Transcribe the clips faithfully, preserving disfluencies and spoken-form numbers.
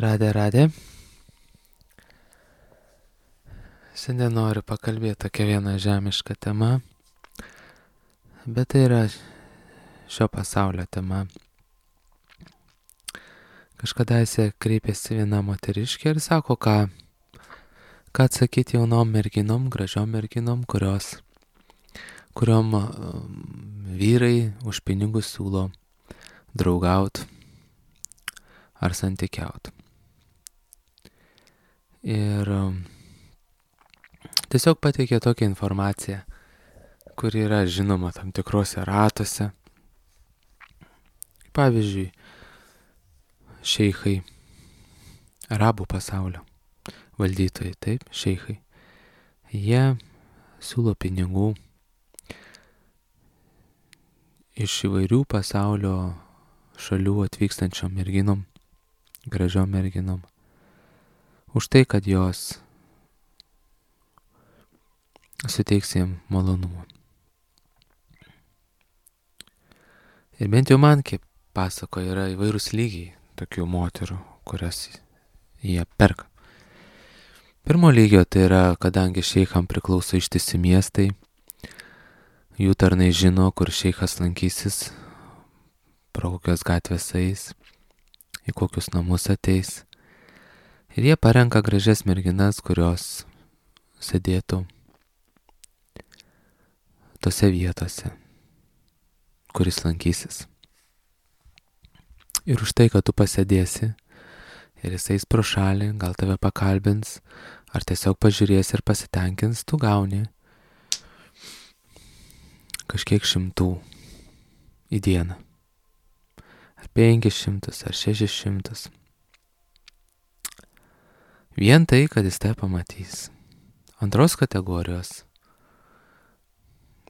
Radė, radė. Šiandien noriu pakalbėti tokia viena žemiška tema, bet tai yra šio pasaulio tema. Kažkadaise kreipėsi viena moteriškė ir sako, ką, ką atsakyti jaunom merginom, gražiom merginom, kurios, kuriom um, vyrai už pinigus siūlo draugaut ar santykiaut. Ir um, tiesiog pateikė tokią informaciją, kuri yra žinoma tam tikrose ratuose. Pavyzdžiui, šeichai, arabų pasaulio valdytojai, taip, šeichai. Jie siūlo pinigų iš įvairių pasaulio šalių atvykstančiom merginom, gražiom merginom, už tai, kad jos suteiks jiem malonumą. Ir bent jau man, kaip pasako, yra įvairūs lygiai tokių moterų, kurias jie perka. Pirmo lygio tai yra, kadangi šeicham priklauso ištisi miestai, jų tarnai žino, kur šeichas lankysis, pro kokios gatvės eis, į kokius namus ateis. Ir jie parenka gražias merginas, kurios sėdėtų tose vietose, kuris lankysis. Ir už tai, kad tu pasėdėsi ir jis eis pro šalį, gal tave pakalbins, ar tiesiog pažiūrės ir pasitenkins, tu gauni kažkiek šimtų į dieną. Ar penkis šimtus, ar šešis šimtus. Vien tai, kad jis tai pamatys. Antros kategorijos.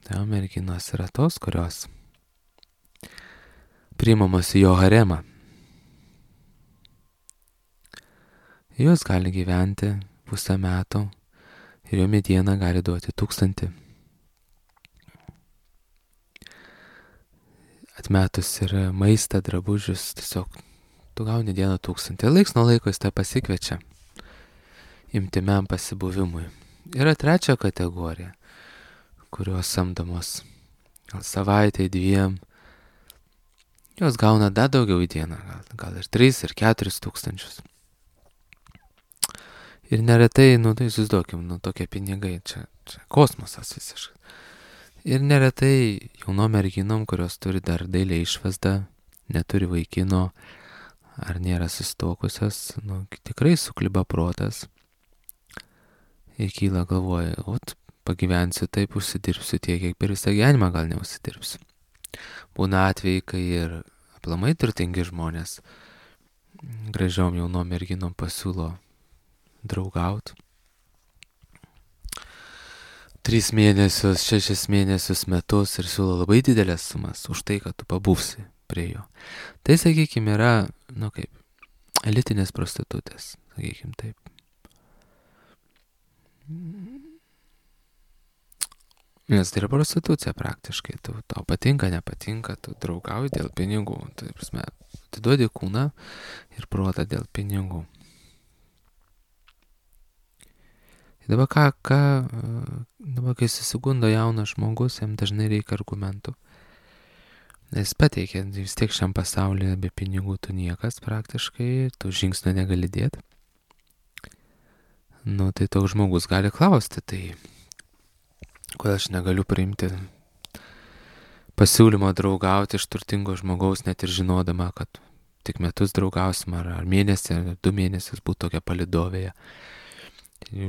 Tai merginos yra tos, kurios priimamos į jo haremą. Jos gali gyventi pusę metų ir jo mediena gali duoti tūkstantį. Atmetus ir maistą, drabužius, tiesiog tu gauni dieną tūkstantį. Laiks nuo laiko jis tai pasikviečia imtimiam pasibuvimui. Yra trečia kategorija, kurios samdomos gal savaitę, dviem. Jos gauna dar daugiau į dieną, gal, gal ir tris, ir keturis tūkstančius. Ir neretai, nu tai įsivaizduokim, nu tokie pinigai, čia, čia kosmosas visiškai. Ir neretai jaunom merginom, kurios turi dar dailę išvaizdą, neturi vaikino, ar nėra susituokusios, nu tikrai sukliba protas. Ir kyla galvoja, ot, pagyvensiu taip, užsidirbsiu tiek, kiek per visą gyvenimą gal neužsidirbsiu. Būna atvejai, kai ir aplamai turtingi žmonės gražiom jaunom merginom pasiūlo draugaut. Tris mėnesius, šešis mėnesius, metus ir siūlo labai didelės sumas už tai, kad tu pabūsi prie jo. Tai, sakykime, yra, nu kaip, elitinės prostitutės, sakykime taip. Nes tai yra prostitucija praktiškai, tu, tau patinka, nepatinka, tu draugauji dėl pinigų, tai prasme, tu duodi kūną ir protą dėl pinigų. Dabar ką, ką, dabar kai susigundo jaunas žmogus, jam dažnai reikia argumentų. Jis pateikia, vis tiek šiam pasaulyje be pinigų tu niekas praktiškai, tu žingsnio negali dėti. Nu, tai toks žmogus gali klausti, tai kodėl aš negaliu priimti pasiūlymo draugauti iš turtingo žmogaus, net ir žinodama, kad tik metus draugausim, ar, ar mėnesį, ar du mėnesius būtų tokia palidovėje.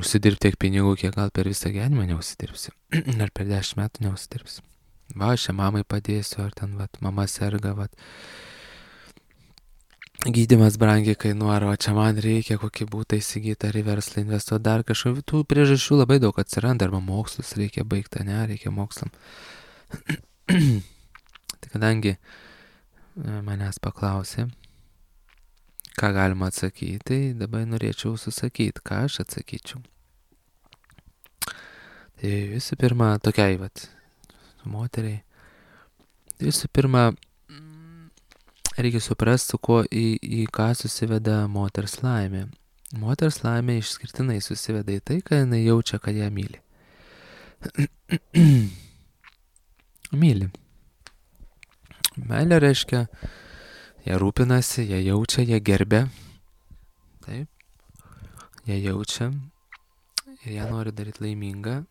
Užsidirbti tiek pinigų, kiek gal per visą gyvenimą neužsidirbsi, ar per dešimt metų neužsidirbsi. Va, aš čia mamai padėsiu, ar ten, vat, mama serga, vat. Gydymas brangiai kainuoja, o čia man reikia kokį būtą įsigyti, ar į verslą investuoti, dar kažkokių tų priežasčių labai daug atsiranda, arba mokslus reikia baigti, ne, reikia mokslam. Tai kadangi manęs paklausė, ką galima atsakyti, tai dabar norėčiau susakyti, ką aš atsakyčiau. Tai visų pirma, tokiai, vat, moteriai, tai visų pirma, reikia suprasti, su kuo į, į ką susiveda moters laimė. Moters laimė išskirtinai susiveda į tai, kad jinai jaučia, kad ją myli. myli. Meilė reiškia, jie rūpinasi, jie jaučia, jie gerbia. Taip. Jie jaučia ir ją nori daryti laimingą.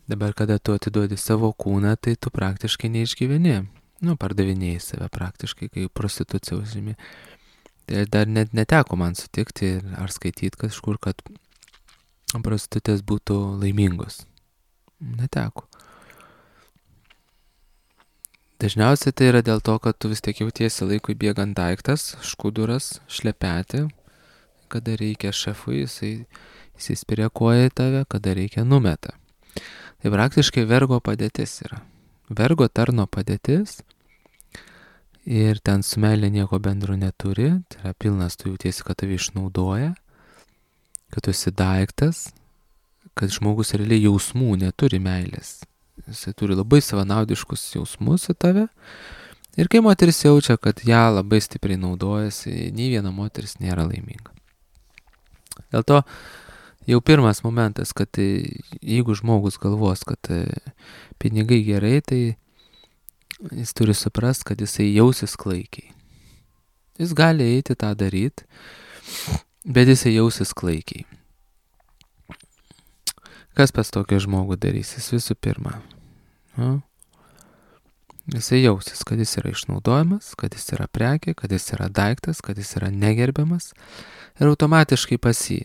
Dabar, kada tu atiduodi savo kūną, tai tu praktiškai neišgyveni. Nu, pardavinėjai save praktiškai, kai prostitucija užimi. Tai dar net neteko man sutikti ar skaityti kažkur, kad prostitutės būtų laimingos. Neteko. Dažniausiai tai yra dėl to, kad tu vis tiek jautiesi laikui bėgant daiktas, škuduras, šlepetė. Kada reikia šefui, jisai įsispiria koją į tave, kada reikia numeta. Tai praktiškai vergo padėtis yra. Vergo tarno padėtis ir ten su meilė nieko bendro neturi. Tai yra pilnas, tu jautiesi, kad tave išnaudoja, kad tu esi daiktas, kad žmogus realiai jausmų neturi meilės. Jisai turi labai savanaudiškus jausmus į tave. Ir kai moteris jaučia, kad ją labai stipriai naudojasi, nei viena moteris nėra laiminga. Dėl to jau pirmas momentas, kad jeigu žmogus galvos, kad pinigai gerai, tai jis turi suprast, kad jisai jausis klaikiai. Jis gali eiti tą daryti, bet jisai jausis klaikiai. Kas pas tokį žmogų darys? Jis visų pirma. Nu, jisai jausis, kad jis yra išnaudojamas, kad jis yra prekė, kad jis yra daiktas, kad jis yra negerbiamas. Ir automatiškai pas jį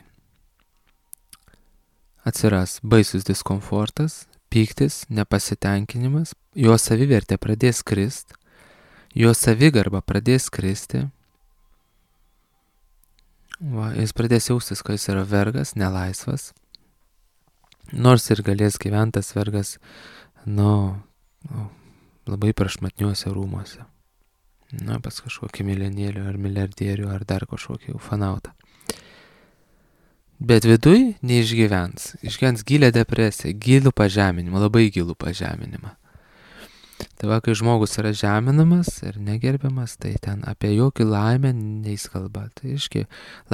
atsiras baisus diskomfortas, pyktis, nepasitenkinimas, jo savivertė pradės krist, jo savigarba pradės kristi. Va, jis pradės jaustis, kad jis yra vergas, nelaisvas. Nors ir galės gyventas vergas, nu, nu labai prašmatniuose rūmuose. Na, pas kažkokį milijonierių ar milijardierių ar dar kažkokį ufanautą. Bet viduj neišgyvens. Išgyvens gilę depresiją, gilų pažeminimą, labai gilų pažeminimą. Tai va, kai žmogus yra žeminamas ir negerbiamas, tai ten apie jokį laimę neis kalba. Tai iški,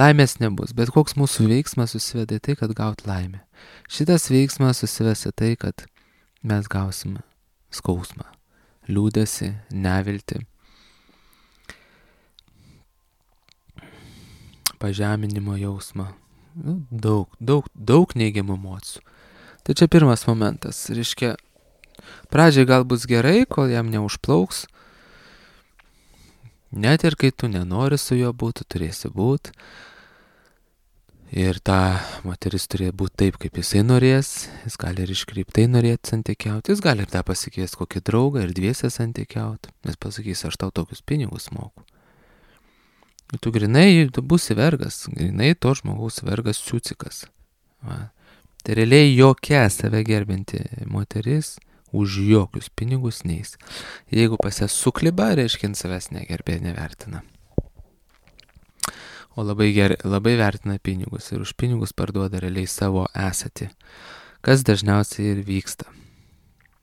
laimės nebus, bet koks mūsų veiksmas susiveda į tai, kad gaut laimę. Šitas veiksmas susives į tai, kad mes gausime skausmą, liūdesį, neviltį, pažeminimo jausmą. Daug, daug, daug neigiamų emocijų. Tai čia pirmas momentas. Reiškia, pradžiai gal bus gerai, kol jam neužplauks. Net ir kai tu nenori su juo būti, turėsi būti. Ir ta moteris turėjo būti taip, kaip jisai norės. Jis gali ir iškreiptai norėti santykiauti. Jis gali ir tą pasikviesti kokį draugą ir dviesę santykiauti. Nes pasakys, aš tau tokius pinigus moku. Tu grinai, tu būsi vergas, grinai to žmogaus vergas ciucikas. Va. Tai realiai jokia save gerbinti moteris už jokius pinigus neis. Jeigu pas ją sukliba, reiškia, savęs negerbė, nevertina. O labai, ger, labai vertina pinigus ir už pinigus parduoda realiai savo esatį. Kas dažniausiai ir vyksta.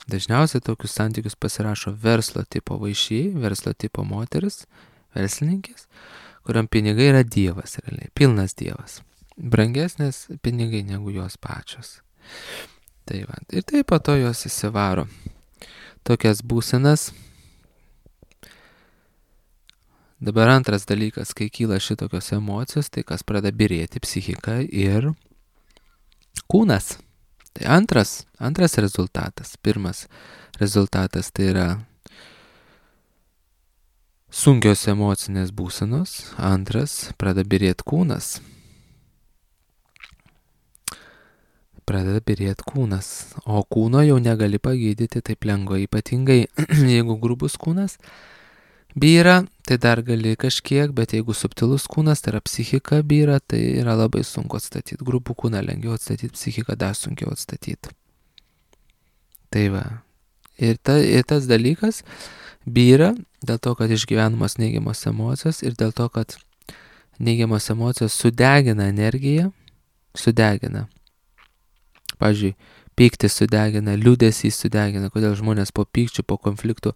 Dažniausiai tokius santykius pasirašo verslo tipo vaišiai, verslo tipo moteris, verslininkės, kuriam pinigai yra dievas, realiai, pilnas dievas. Brangesnės pinigai negu jos pačios. Tai va, ir taip po to jos įsivaro tokias būsenas. Dabar antras dalykas, kai kyla šitokios emocijos, tai kas pradeda birėti psichika ir kūnas. Tai antras, antras rezultatas. Pirmas rezultatas tai yra sunkios emocinės būsenos, antras, pradeda birėti kūnas. Pradeda birėti kūnas, o kūno jau negali pagydyti taip lengvai, ypatingai jeigu grubus kūnas byra, tai dar gali kažkiek, bet jeigu subtilus kūnas, tai yra psichika byra, tai yra labai sunku atstatyti. Grubų kūną lengviau atstatyti, psichiką dar sunkiau atstatyti. Tai va, ir, ta, ir tas dalykas byra dėl to, kad išgyvenamos neigiamos emocijos ir dėl to, kad neigiamos emocijos sudegina energiją, sudegina. Pavyzdžiui, Pyktis sudegina, liūdesį sudegina, kodėl žmonės po pykčių, po konfliktų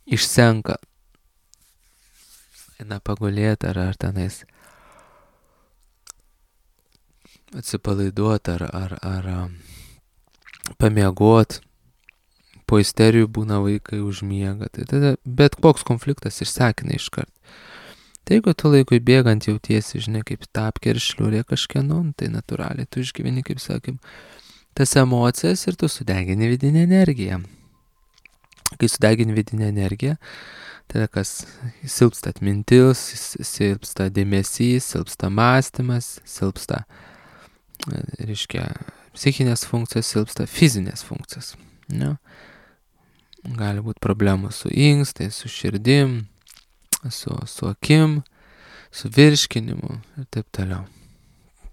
išsenka. Eina pagulėti ar, ar tenais atsipalaiduoti ar, ar, ar pamiegot. Po isterijų būna vaikai užmiega. Tai tada bet koks konfliktas išsekina iškart. Tai jeigu tu laikui bėgant jautiesi, žinai, kaip tapkė ir šliurė kažkieno, tai natūraliai tu išgyveni, kaip sakym, tas emocijas ir tu sudegini vidinę energiją. Kai sudegini vidinę energiją, tada kas silpsta atmintis, silpsta dėmesys, silpsta mąstymas, silpsta, reiškia, psichinės funkcijos, silpsta fizinės funkcijos. Ne? Gali būti problemų su inkstais, su širdim, su, su akim, su virškinimu ir taip toliau.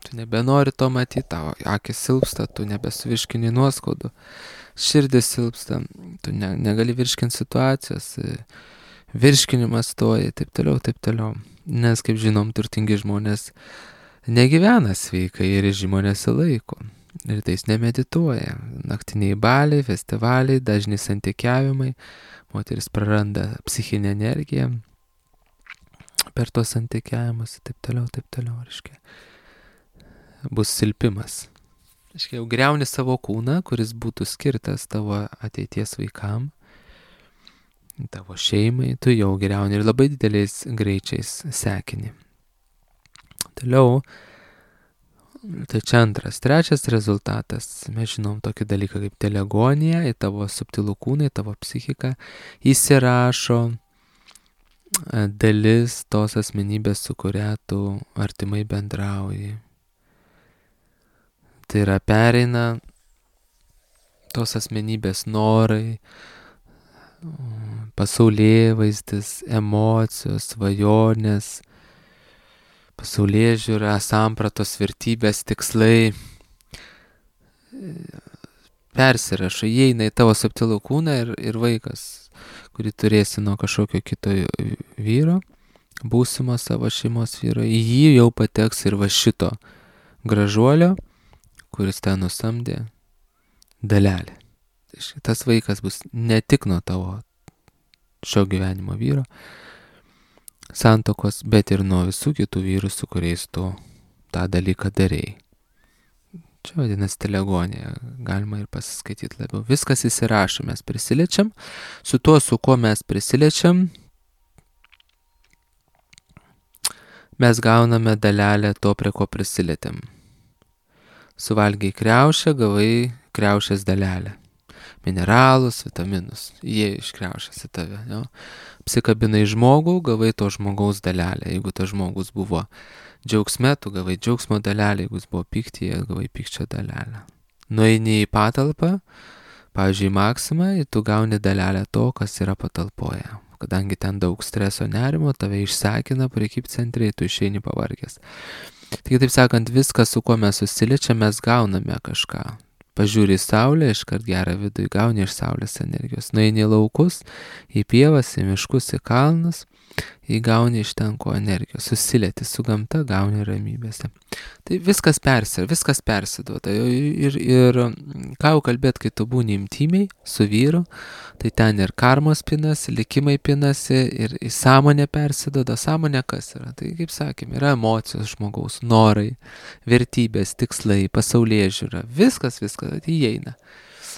Tu nebenori to matyti, tavo akis silpsta, tu nebesuvirškini nuoskaudų, širdis silpsta, tu ne, negali virškinti situacijos, virškinimas stoja, taip toliau, taip toliau. Nes, kaip žinom, turtingi žmonės negyvena sveikai ir režimo nesilaiko. Ir tais nemedituoja. Naktiniai baliai, festivaliai, dažni santykiavimai, moteris praranda psichinę energiją per tos santykiavimus, taip toliau, taip toliau, reiškia. Bus silpimas. Reiškia, jau griauni savo kūną, kuris būtų skirtas tavo ateities vaikam, tavo šeimai, tu jau griauni ir labai dideliais greičiais sekini. Toliau, tai čia antras. Trečias rezultatas. Mes žinom tokį dalyką kaip telegonija, į tavo subtilų kūną, į tavo psichiką įsirašo dalis tos asmenybės, su kuria tu artimai bendrauji. Tai yra pereina tos asmenybės norai, pasaulėvaizdis, emocijos, svajonės, pasaulėžiūra, sampratos, vertybės, tikslai persirašo, įeina į tavo subtilų kūną ir, ir vaikas, kurį turėsi nuo kažkokio kito vyro, būsimo savo šeimos vyro, į jį jau pateks ir va šito gražuolio, kuris ten nusamdė dalelę. Tas vaikas bus ne tik nuo tavo šio gyvenimo vyro santokos, bet ir nuo visų kitų vyrų, su kuriais tu tą dalyką darėjai. Čia vadinasi telegonija, galima ir pasiskaityti labiau. Viskas įsirašo, mes prisiliečiam, su tuo, su kuo mes prisiliečiam, mes gauname dalelę to, prie ko prisilietėm. Suvalgiai kriaušę, gavai kriaušės dalelę. Mineralus, vitaminus, jie iš kriaušės į tave. Jo? Apsikabinai žmogų, gavai to žmogaus dalelę. Jeigu tas žmogus buvo džiaugsme, tu gavai džiaugsmo dalelę, jeigu jis buvo pyktyje, gavai pykčio dalelę. Nueini į patalpą, pavyzdžiui, Maksimą, ir tu gauni dalelę to, kas yra patalpoje. Kadangi ten daug streso, nerimo, tave išsekina prekybcentriai, tu išeini pavargęs. Tik taip sakant, viskas, su kuo mes susiliečiam, mes gauname kažką. Pažiūri į saulę, iškart gerą vidų gauni iš saulės energijos. Nueini į laukus, į pievas, į miškus, į kalnus, įgauni iš ten ko energijos. Susilieti su gamta, gauni ramybėse. Tai viskas persi, viskas persiduoda. Ir, ir ką jau kalbėt, kai tu būni intimiai su vyru, tai ten ir karmos pinasi, likimai pinasi, ir į sąmonę persiduoda. Sąmonė kas yra? Tai kaip sakėm, yra emocijos žmogaus, norai, vertybės, tikslai, pasaulėžiūra. Viskas, viskas įeina.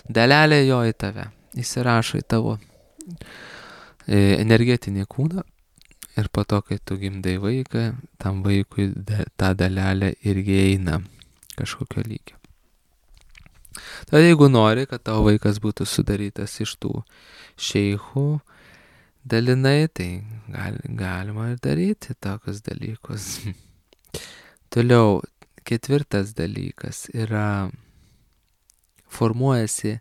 Dalelė jo į tave. Įsirašo į tavo energetinį kūną. Ir po to, kai tu gimdai vaiką, tam vaikui da, ta dalelė irgi eina kažkokio lygio. Tad jeigu nori, kad tavo vaikas būtų sudarytas iš tų šeichų dalinai, tai gal, galima ir daryti tokius dalykus. Toliau, ketvirtas dalykas yra, formuojasi,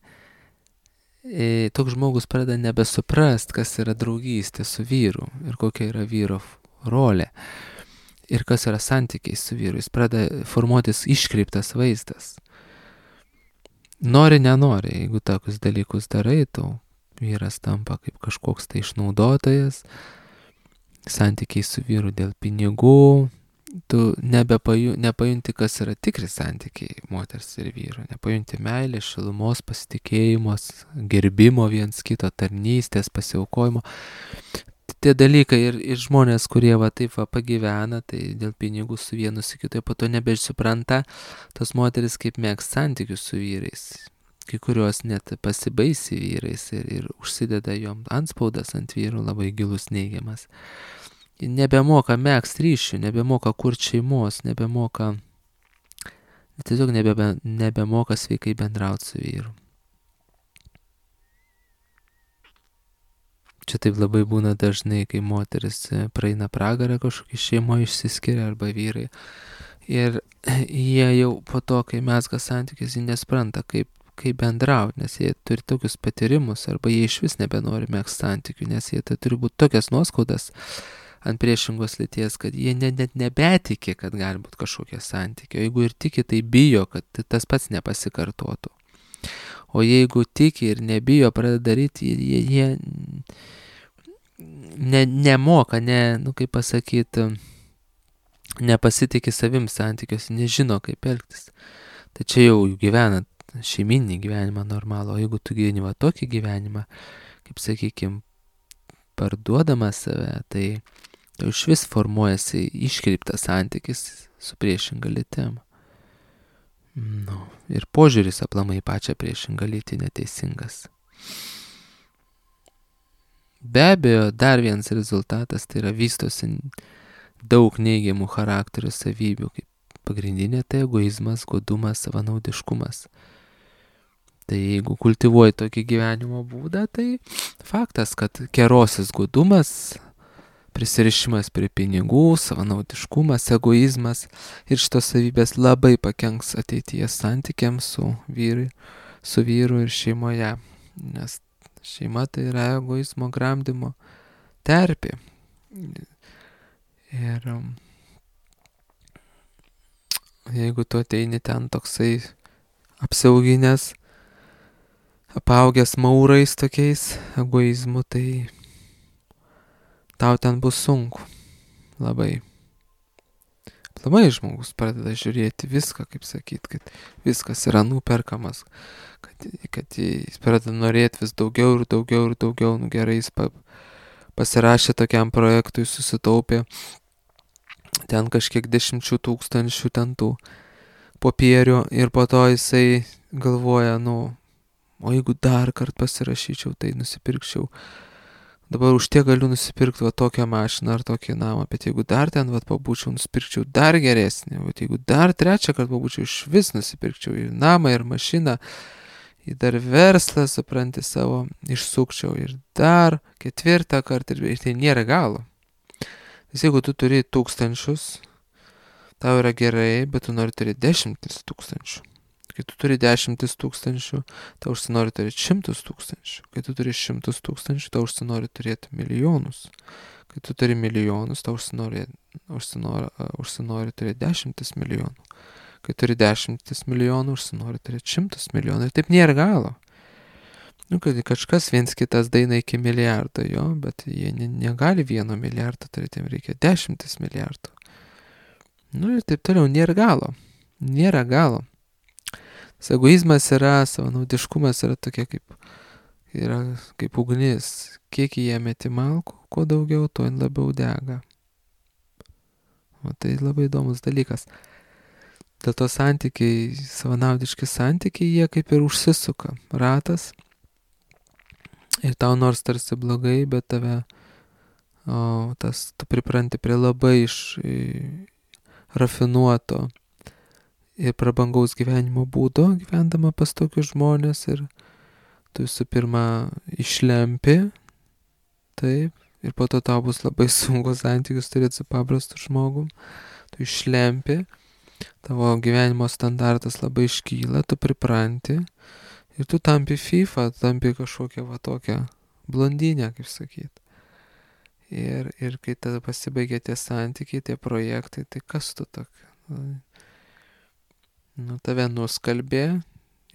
E, toks žmogus pradeda nebesuprast, kas yra draugystė su vyru ir kokia yra vyro rolė ir kas yra santykiai su vyru. Jis pradeda formuotis iškreiptas vaizdas. Nori, nenori, jeigu tokius dalykus darai, tau vyras tampa kaip kažkoks tai išnaudotojas, santykiai su vyru dėl pinigų, tu nebepaju, nepajunti, kas yra tikri santykiai moters ir vyro. Nepajunti meilės, šilumos, pasitikėjimos, gerbimo viens kito, tarnystės, pasiaukojimo. Tie dalykai ir, ir žmonės, kurie va taip va pagyvena, tai dėl pinigų su vienu su kitu, po to nebesupranta tos moteris kaip mėgs santykius su vyrais. Kai kurios net pasibaisi vyrais ir, ir užsideda jom antspaudas ant vyrų labai gilus neigiamas. Nebemoka megzt ryšių, nebemoka kurti šeimos, nebemoka, tiesiog nebebe, nebemoka sveikai bendrauti su vyru. Čia taip labai būna dažnai, kai moteris praeina pragarą kažkokį šeimoje išsiskiria arba vyrai. Ir jie jau po to, kai mezga santykius, jie nespranta, kaip, kaip bendrauti, nes jie turi tokius patyrimus arba jie iš vis nebenori megzti santykių, nes jie tai turi būti tokias nuoskaudas ant priešingos lyties, kad jie net, net nebetiki, kad gali būti kažkokie santykiai. O jeigu ir tiki, tai bijo, kad tas pats nepasikartotų. O jeigu tiki ir nebijo pradeda daryti, jie, jie ne, nemoka, ne, nu kaip pasakyti, nepasitikė savim santykiuose, nežino kaip elgtis. Tai čia jau gyvenat šeiminį gyvenimą normalų, o jeigu tu gyveni va tokį gyvenimą, kaip sakykim, parduodama save, tai tai iš vis formuojasi iškreiptas santykis su priešinga lytim. Nu, ir požiūris aplamai pačią priešingą lytį neteisingas. Be abejo, dar vienas rezultatas tai yra vystosi daug neigiamų charakterio savybių, kaip pagrindinė tai egoizmas, godumas, savanaudiškumas. Tai jeigu kultivuoji tokį gyvenimo būdą, tai faktas, kad kerosis godumas, prisirišimas prie pinigų, savanaudiškumas, egoizmas ir šitos savybės labai pakenks ateities santykiams su vyru, su vyru ir šeimoje, nes šeima tai yra egoizmo gramdymo terpė. Ir jeigu tu ateini ten toksai apsiauginęs, apaugęs maurais tokiais egoizmu, tai tau ten bus sunku. Labai. Aplamai žmogus pradeda žiūrėti viską, kaip sakyt, kad viskas yra nuperkamas, kad, kad jis pradeda norėti vis daugiau ir daugiau ir daugiau, nu gerai, jis pa, pasirašė tokiam projektui, susitaupė ten kažkiek dešimčių tūkstančių ten tų popierių ir po to jisai galvoja, nu, o jeigu dar kart pasirašyčiau, tai nusipirkčiau. Dabar už tiek galiu nusipirkti va tokią mašiną ar tokį namą, bet jeigu dar ten va pabūčiau, nusipirkčiau dar geresnį, bet jeigu dar trečią kartą pabūčiau, iš vis nusipirkčiau ir namą, ir mašiną, ir dar verslą, supranti, savo išsukčiau, ir dar ketvirtą kartą, ir tai nėra galo. Nes jeigu tu turi tūkstančius, tau yra gerai, bet tu nori turėti dešimtis tūkstančių. Kai tu turi dešimtis tūkstančių, tau užsinori turėti šimtus tūkstančių. Kai tu turi šimtus tūkstančių, tau užsinori turėti milijonus. Kai tu turi milijonus, tau užsinori, užsinori, užsinori turėti dešimtis milijonų. Kai turi dešimtis milijonų, užsinori turėti šimtus milijonų. Ir taip nėra galo. Nu, kad kažkas viens kitas daina iki milijardo, jo, bet jie ne, negali vieno milijardo turėti, jiems reikia dešimtis milijardų. Nu ir taip toliau, nėra galo. Nėra galo. Egoizmas yra, savanaudiškumas yra tokia kaip, yra kaip ugnis. Kiek jie meti malkų, kuo daugiau, tuo labiau dega. O tai labai įdomus dalykas. Dėl to santykiai, savanaudiški santykiai, jie kaip ir užsisuka. Ratas. Ir tau nors tarsi blogai, bet tave, o, tas, tu pripranti prie labai iš, rafinuoto ir prabangaus gyvenimo būdo, gyvendama pas tokius žmonės, ir tu visų pirma išlempi, taip, ir po to tau bus labai sunku santykius turėti su paprastu žmogum, tu išlempi, tavo gyvenimo standartas labai iškyla, tu pripranti, ir tu tampi FIFA, tampi kažkokią va tokią blondinę, kaip sakyt. Ir, ir kai tada pasibaigia tie santykiai, tie projektai, tai kas tu tokia? Nu, tave nuskalbė,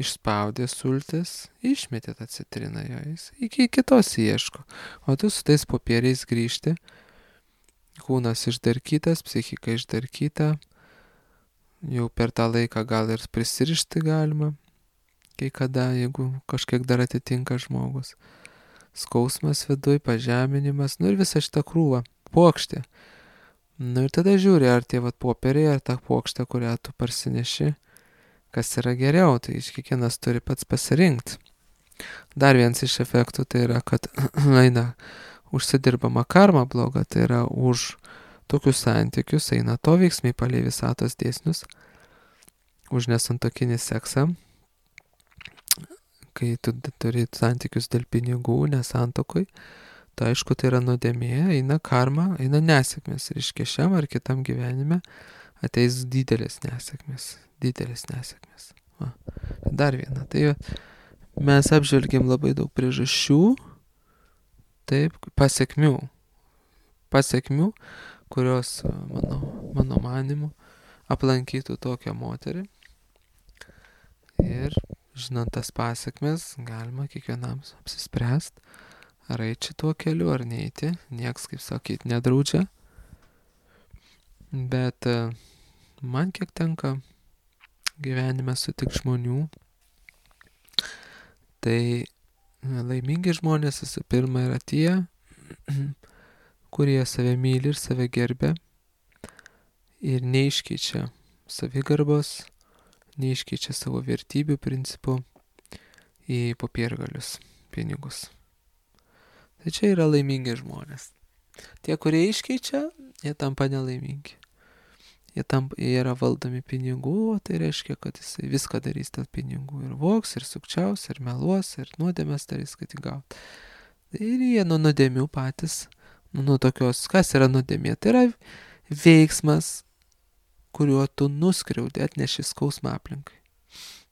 išspaudė sultis, išmetė tą citriną jo, jis iki kitos ieško. O tu su tais popieriais grįžti, kūnas išdarkytas, psichika išdarkyta, jau per tą laiką gal ir prisirišti galima, kai kada, jeigu kažkiek dar atitinka žmogus. Skausmas viduj, pažeminimas, nu ir visa šita krūva, puokštė. Nu ir tada žiūri, ar tie vat popieriai, ar ta puokštė, kurią tu parsineši, kas yra geriau, tai kiekvienas turi pats pasirinkti. Dar vienas iš efektų tai yra, kad eina užsidirbama karma bloga, tai yra už tokius santykius eina to veiksmai palei visatos dėsnius, už nesantuokinį seksą, kai tu turi santykius dėl pinigų, nesantokoj, tai aišku, tai yra nuodėmė, eina karma, eina nesėkmės. Reiškia, šiam ar kitam gyvenime ateis didelės nesėkmės. Didelės nesėkmės. Va. Dar viena. Tai mes apžvelgėm labai daug priežasčių, taip, pasiekmių. Pasiekmių, kurios, mano, mano manimu, aplankytų tokią moterį. Ir žinant tas pasiekmes, galima kiekvienam apsispręsti, ar eiti šituo keliu, ar neiti. Nieks, kaip sakyt, nedraudžia. Bet man kiek tenka gyvenime sutik žmonių, tai laimingi žmonės visų pirma yra tie, kurie save myli ir save gerbia ir neiškeičia savigarbos, neiškeičia savo vertybių principų į popiergalius, pinigus. Tai čia yra laimingi žmonės. Tie, kurie iškeičia, jie tampa nelaimingi. Jie, tampa, jie yra valdomi pinigų, o tai reiškia, kad jisai viską darys dėl pinigų. Ir voks, ir sukčiaus, ir meluos, ir nuodėmės darys, kad įgaut. Ir jie nuo nuodėmių patys, nuo tokios, kas yra nuodėmė? Tai yra veiksmas, kuriuo tu nuskriaudi, atneši skausmą aplinkai.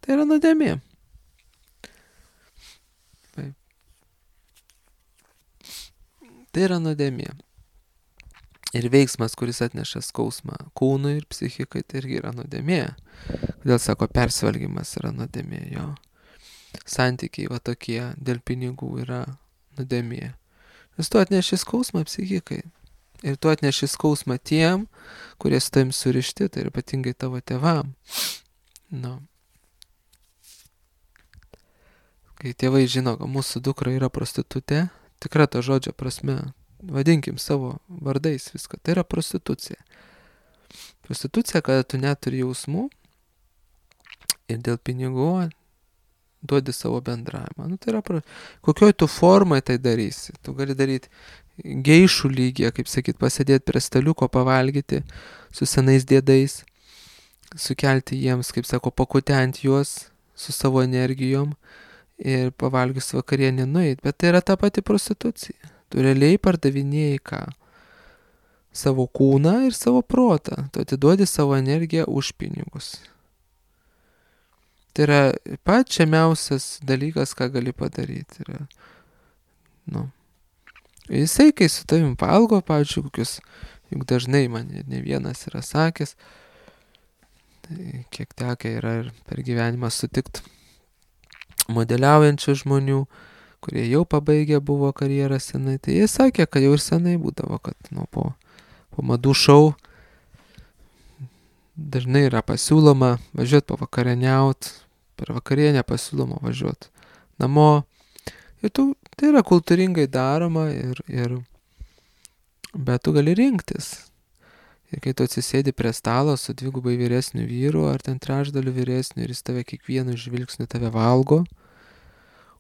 Tai yra nuodėmė. Tai yra nuodėmė. Ir veiksmas, kuris atneša skausmą kūnui ir psichikai, tai irgi yra nuodėmė. Kodėl sako, persivalgymas yra nuodėmė, jo. Santykiai va tokie dėl pinigų yra nuodėmė. Nes tu atneši skausmą psichikai. Ir tu atneši skausmą tiem, kurie su tavim surišti, tai ir ypatingai tavo tėvam. Nu. Kai tėvai žino, kad mūsų dukra yra prostitutė, tikra to žodžio prasme, vadinkim savo vardais viską, tai yra prostitucija. Prostitucija, kada tu neturi jausmų ir dėl pinigų duodi savo bendravimą. Nu, tai yra, pro... kokioj tu formai tai darysi. Tu gali daryti geišų lygyje, kaip sakyt, pasėdėti prie staliuko, pavalgyti su senais dėdais, sukelti jiems, kaip sako, pakutenti juos su savo energijom ir pavalgius vakarienę nueit. Bet tai yra ta pati prostitucija. Tu realiai pardavinėjai ką? Savo kūną ir savo protą. Tu atiduodi savo energiją už pinigus. Tai yra pats žemiausias dalykas, ką gali padaryti. Yra, nu. Jisai, kai su tavim valgo, pavyzdžiui, kokius, juk dažnai man ne vienas yra sakęs, tai kiek tekę yra ir per gyvenimą sutikti modeliaujančių žmonių, kurie jau pabaigę buvo karjerą senai, tai jie sakė, kad jau ir senai būdavo, kad nu, po, po madų šou dažnai yra pasiūloma važiuoti pavakarieniaut, per vakarienę pasiūloma važiuoti namo. Ir tu, tai yra kultūringai daroma, ir, ir, bet tu gali rinktis. Ir kai tu atsisėdi prie stalo su dvigubai vyresniu vyru, ar ten trečdaliu vyresniu, ir jis tave kiekvienu žvilgsniu tave valgo,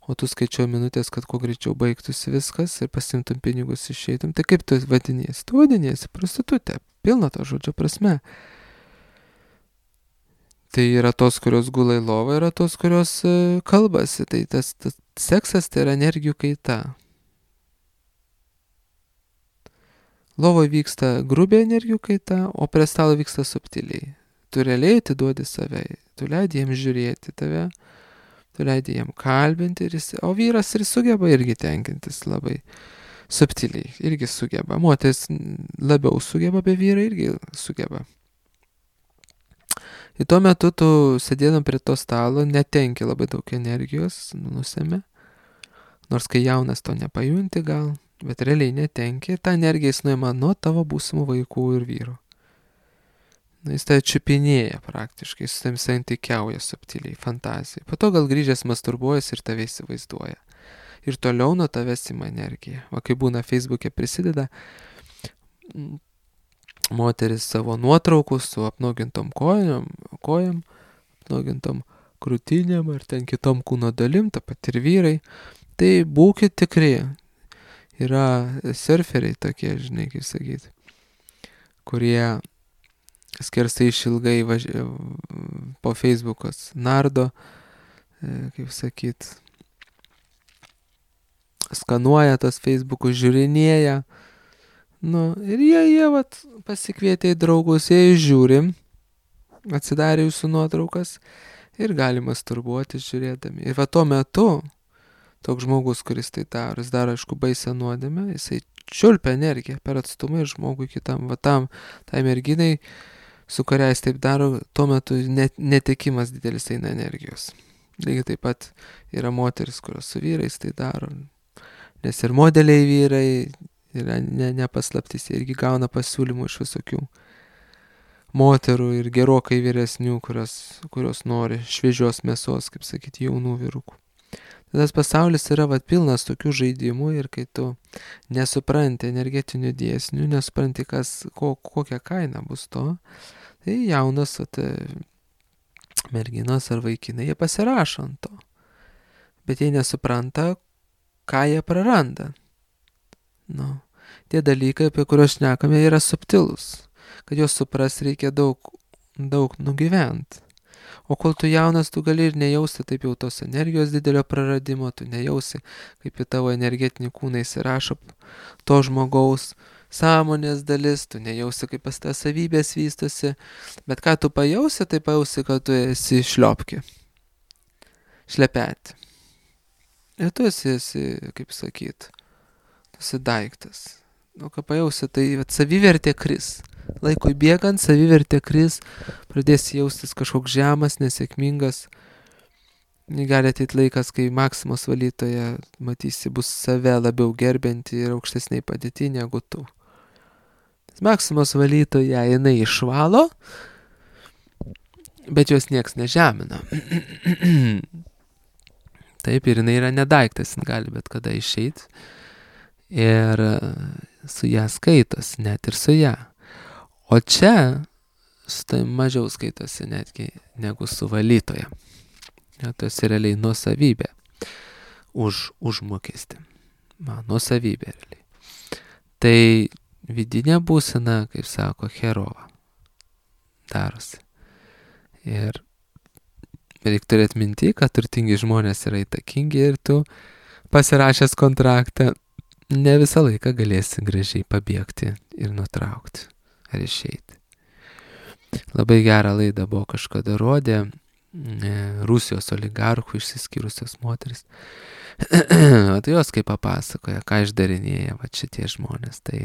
o tu skaičiuoji minutės, kad kuo greičiau baigtųsi viskas ir pasimtum pinigus išeitum, tai kaip tu vadiniesi? Tu vadiniesi prostitutė, pilna to žodžio prasme. Tai yra tos, kurios gula į lovą, yra tos, kurios uh, kalbasi. Tai tas, tas seksas tai yra energijų kaita. Lovoje vyksta grubiai energijų kaita, o prie stalo vyksta subtiliai. Tu realiai atiduodi save, tu leidi jiems žiūrėti tave, tu leidi jiem kalbinti, ir jis, o vyras ir sugeba irgi tenkintis labai subtiliai, irgi sugeba. Moteris labiau sugeba, be vyrai irgi sugeba. Ir tuo metu tu sėdėdam prie to stalo, netenki labai daug energijos, nusėmė. Nors kai jaunas to nepajunti gal, Bet realiai netenki ir tą energiją jis nuima nuo tavo būsimų vaikų ir vyrų. Na, jis tai čiupinėja praktiškai, su tam santykiauja subtiliai, fantazijai. Po to gal grįžęs masturbuojas ir tave įsivaizduoja. Ir toliau nuo tavęs ima energiją. O kai būna Facebook'e prisideda moteris savo nuotraukų su apnuogintom kojom, kojom, apnuogintom krūtinėm ar ten kitom kūno dalim, ta pat ir vyrai. Tai būkit tikri. Yra surferiai tokie, žinai, kaip sakyti, kurie skersai išilgai važi... po Facebook'os nardo, kaip sakyt, skanuoja tos Facebook'us, žiūrinėja. Nu, ir jie, jie vat, pasikvietė į draugus, jie žiūri, atsidarė jūsų nuotraukas ir gali masturbuoti žiūrėdami. Ir va tuo metu, toks žmogus, kuris tai daro, jis daro, aišku, baisę nuodėmę, jisai čiulpia energiją per atstumą ir žmogui kitam, va tam, tai merginai, su kuria jis taip daro, tuo metu net, netekimas didelis eina energijos. Lygiai taip pat yra moteris, kurios su vyrais tai daro, nes ir modeliai vyrai yra ne, nepaslaptis, jie irgi gauna pasiūlymų iš visokių moterų ir gerokai vyresnių, kurios, kurios nori šviežios mėsos, kaip sakyti, jaunų vyrukų. Tas pasaulis yra vat, pilnas tokių žaidimų ir kai tu nesupranti energetinių dėsnių, nesupranti, kas, ko, kokia kaina bus to, tai jaunas vat, merginos ar vaikinai, jie pasirašo ant to. Bet jie nesupranta, ką jie praranda. Nu, tie dalykai, apie kuriuos šnekame, yra subtilus. Kad juos supras reikia daug, daug nugyventi. O kol tu jaunas, tu gali ir nejausti taip jau tos energijos didelio praradimo, tu nejausi, kaip į tavo energetinį kūną įsirašo to žmogaus sąmonės dalis, tu nejausi, kaip pas tą savybės vystosi, bet ką tu pajausi, tai pajausi, kad tu esi šliopki, šlepeti. Ir tu esi, esi kaip sakyt, tu esi daiktas. O ką pajausi, tai savivertė kris. Laikui bėgant, savivertė kris, pradėsi jaustis kažkoks žemas, nesėkmingas. Gali ateiti laikas, kai Maksimos valytoje matysi bus save labiau gerbianti ir aukštesniai padėti negu tu. Maksimos valytoje jinai išvalo, bet jos nieks nežemina. Taip, ir jinai yra nedaiktas, jin gali bet kada išeiti. Ir su ją skaitos, net ir su ją. O čia su tai mažiau skaitosi netgi negu su valytoja. Ja, tas yra realiai nuosavybė už užmokestį. Man, nuosavybė realiai. Tai vidinė būsena, kaip sako, herova darosi. Ir reikia turėti minti, kad turtingi žmonės yra įtakingi ir tu pasirašęs kontraktą ne visą laiką galėsi gražiai pabėgti ir nutraukti ar išeiti. Labai gerą laidą buvo kažkada rodė Rusijos oligarchų išsiskyrusios moteris. Tai jos kaip papasakoja, ką išdarinėja va šitie žmonės. Tai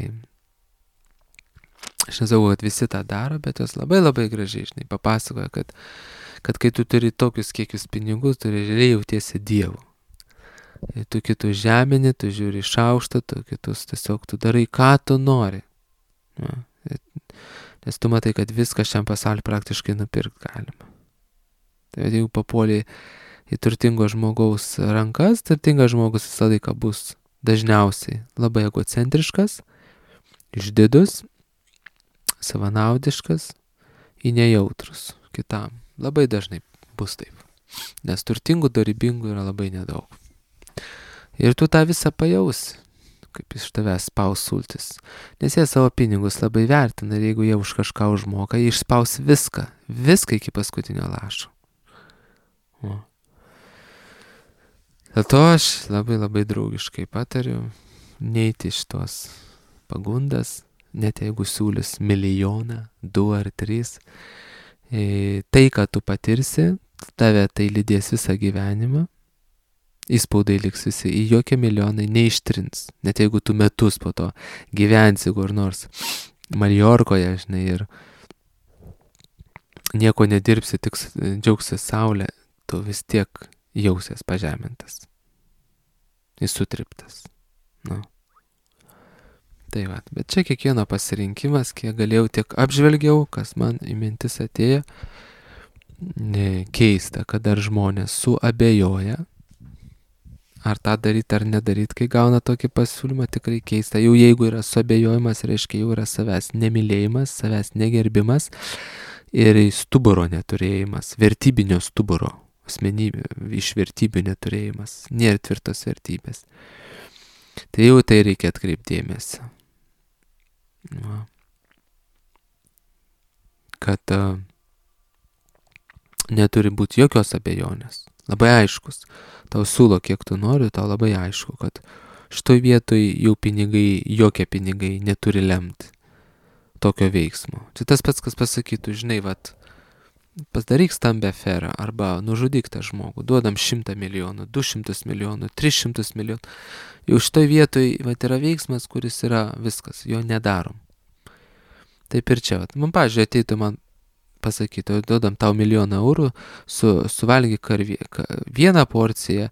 aš nesakau, kad visi tą daro, bet jos labai labai gražiai, žinai, papasakoja, kad, kad kai tu turi tokius kiekius pinigų, tu realiai jautiesi dievu. Ir tu kitus žemini, tu žiūri iš aukšto, tu kitus tiesiog tu darai, ką tu nori. Ja. Nes tu matai, kad viską šiam pasauliu praktiškai nupirkti galima. Tai jeigu papuoli į turtingo žmogaus rankas, turtingas žmogus visą laiką bus dažniausiai labai egocentriškas, išdidus, savanaudiškas, į nejautrus kitam. Labai dažnai bus taip. Nes turtingų, dorybingų yra labai nedaug. Ir tu tą visą pajausi, kaip iš tavęs spaus sultis. Nes jie savo pinigus labai vertina ir jeigu jie už kažką užmoka, jie išspaus viską, viską iki paskutinio lašo. O. Dėl to aš labai labai draugiškai patariu neiti iš tos pagundas, net jeigu siūlis milijoną, du ar trys. E, tai, ką tu patirsi, tave tai lydės visą gyvenimą. Įspaudai liks visi, į jokie milijonai neištrins. Net jeigu tu metus po to gyvensi kur nors Maljorkoje, žinai, ir nieko nedirbsi, tik džiaugsi saulę, tu vis tiek jausies pažemintas. Įsutriptas. Nu. Tai va, bet čia kiekvieno pasirinkimas, kiek galėjau, tiek apžvelgiau, kas man į mintis atėjo. Ne, keista, kad dar žmonės suabejoja, ar tą daryti ar nedaryti, kai gauna tokį pasiūlymą, tikrai keista. Jau jeigu yra suabejojimas, reiškia jau yra savęs nemylėjimas, savęs negerbimas ir stuburo neturėjimas, vertybinio stuburo, asmenybė, iš vertybių neturėjimas, nėra tvirtos vertybės. Tai jau tai reikia atkreipdėmėsi. Va. Kad uh, neturi būti jokios abejonės. Labai aiškus. Tau siūlo, kiek tu nori, tau labai aišku, kad šitoj vietoj jau pinigai, jokie pinigai neturi lemti tokio veiksmo. Čia tas pats, kas pasakytų, žinai, vat, pasidaryk stambę aferą arba nužudyk tą žmogų, duodam šimtą milijonų, du šimtus milijonų, tris šimtus milijonų. Jau šitoj vietoj vat, yra veiksmas, kuris yra viskas, jo nedarom. Taip ir čia, vat, man, pavyzdžiui, ateitų man pasakytų, duodam tau milijoną eurų, su, suvalgyk karvie, ka, vieną porciją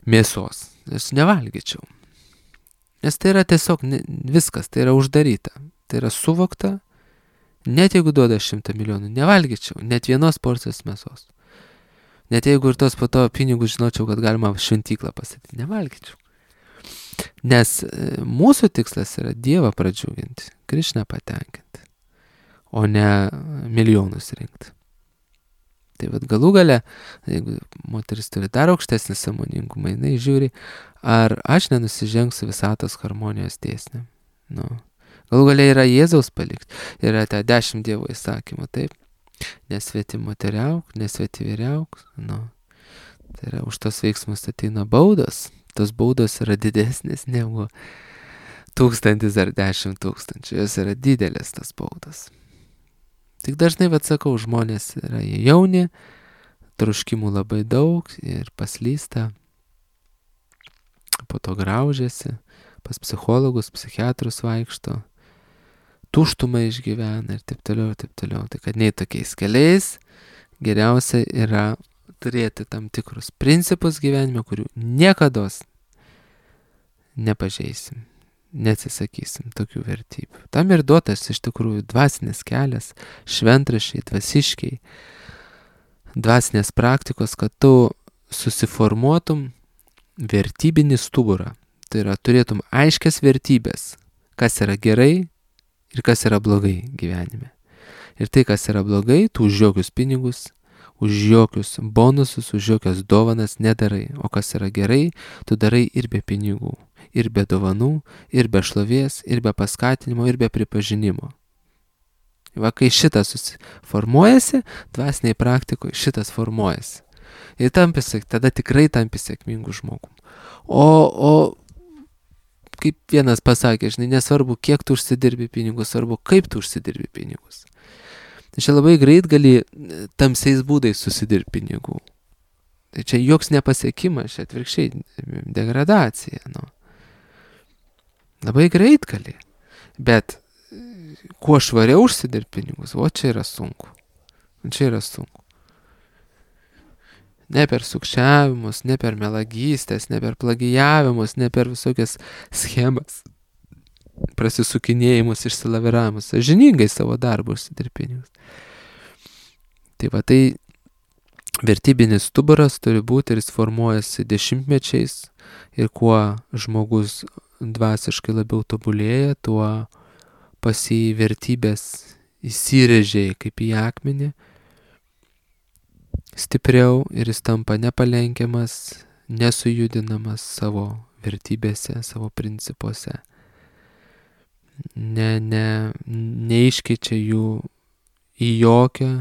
mėsos. Aš nevalgyčiau. Nes tai yra tiesiog ne, viskas, tai yra uždaryta. Tai yra suvokta, net jeigu duoda šimtą milijonų, nevalgyčiau, net vienos porcijos mėsos. Net jeigu ir tos po to pinigus žinočiau, kad galima šventyklą pastatyti, nevalgyčiau. Nes mūsų tikslas yra Dievą pradžiuginti, Krišną patenkinti, o ne milijonus rinkti. Tai vad galų gale, jeigu moteris turi dar aukštesnį sąmoningumą, jinai žiūri, ar aš nenusižengsiu visatos harmonijos dėsniam. Nu, galų gale yra Jėzaus palikti, yra ta dešimt Dievo įsakymų, taip, nesvetimoteriauk, nesvetiviriauk, nu, tai yra už tos veiksmus ateina baudos, tos baudos yra didesnės negu tūkstantis ar dešimt tūkstančių, jos yra didelės tas baudos. Tik dažnai, vad sakau, žmonės yra jauni, troškimų labai daug ir paslysta, po to graužiasi, pas psichologus, psichiatrus vaikšto, tuštumą išgyvena ir taip toliau, ir taip toliau. Tai kad nei tokiais keliais geriausia yra turėti tam tikrus principus gyvenime, kurių niekados nepažeisim, neatsisakysim tokių vertybių. Tam ir duotas iš tikrųjų dvasinis kelias, šventraščiai, dvasiškiai, dvasinės praktikos, kad tu susiformuotum vertybinį stuburą. Tai yra, turėtum aiškias vertybės, kas yra gerai ir kas yra blogai gyvenime. Ir tai, kas yra blogai, tu už jokius pinigus, už jokius bonusus, už jokias dovanas nedarai. O kas yra gerai, tu darai ir be pinigų, ir be dovanų, ir be šlovės, ir be paskatinimo, ir be pripažinimo. Va, kai šitas susiformuojasi, dvasiniai praktikoje šitas formuojasi. Ir tampi, tada tikrai tampi sėkmingų žmogų. O, o kaip vienas pasakė, žinai, nesvarbu, kiek tu užsidirbi pinigus, svarbu, kaip tu užsidirbi pinigus. Tai čia labai greit gali tamsiais būdais susidirbti pinigų. Tai čia joks nepasiekimas, čia atvirkščiai degradacija. Nu. Labai greit gali. Bet kuo švariau užsidirbti pinigus, o čia yra sunku. Čia yra sunku. Ne per sukčiavimus, ne per melagystės, ne per plagijavimus, ne per visokias schemas, prasisukinėjimus, išsilaviravimus, sąžiningai savo darbą užsidirbti pinigus. Tai va, tai vertybinis stuburas turi būti ir jis formuojasi dešimtmečiais ir kuo žmogus dvasiškai labiau tobulėja, tuo pas jį vertybės įsirėžė kaip į akmenį stipriau ir jis tampa nepalenkiamas, nesujudinamas savo vertybėse, savo principuose. Ne, ne, neiškeičia jų į jokią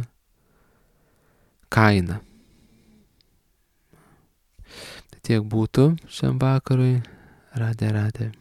kainą. Tai tiek būtų šiam vakarui. Radė, radė.